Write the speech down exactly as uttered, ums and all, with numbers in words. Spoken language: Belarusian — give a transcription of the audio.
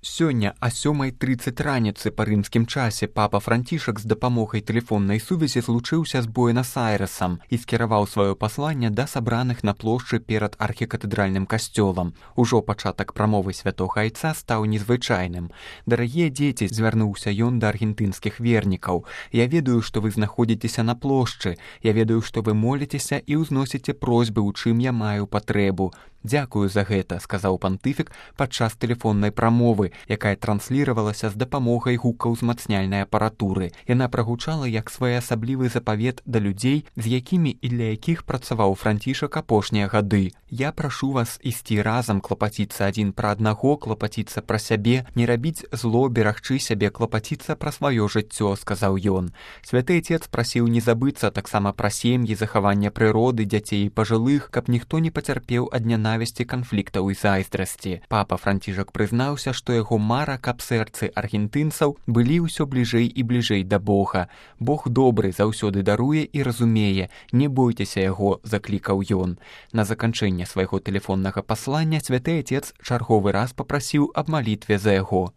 Сёння о сёмай трыццаць раніцы па рымскім часе папа Францішак з дапамогай тэлефоннай сувязі злучыўся з Буэнас-Айрэсам і скіраваў сваё пасланне да сабраных на плошчы перад архікатэдральным касцёлам. Ужо пачатак прамовы святога айца стаў незвычайным. «Дарагія дзеці», звярнуўся ён да аргентынскіх вернікаў, «я ведаю, што вы знаходзіцеся на плошчы, я ведаю, што вы моліцеся і ўзносіце просьбы, у чым я маю патрэбу. Дзякую за гэта», — сказаў пантыфік падчас тэлефоннай прамовы, якая трансліравалася з дапамогай гукаўзмацняльнай апаратуры. Яна прагучала як своеасаблівы запавет да людзей, з якімі і для якіх працаваў Францішак апошнія гады. «Я прашу вас ісці разам, клапаціцца адзін пра аднаго, клапаціцца пра сябе, не рабіць зло, берагчы сябе, клапаціцца пра сваё жыццё», — сказаў ён. Святы Айцец прасіў не забыцца таксама пра сем'і, захаванне прыроды, дзяцей і пажылых, каб ніхто не пацярпеў ад нянавісці, канфліктаў і зайздрасці. Папа Францішак прызнаўся, што яго мара, каб сэрцы аргентынцаў былі ўсё бліжэй і бліжэй да Бога. «Бог добры, заўсёды даруе і разумее, не бойцеся яго», — заклікаў ён. На заканчэнне свайго тэлефоннага паслання святы Айцец чарговы раз папрасіў аб малітве за яго.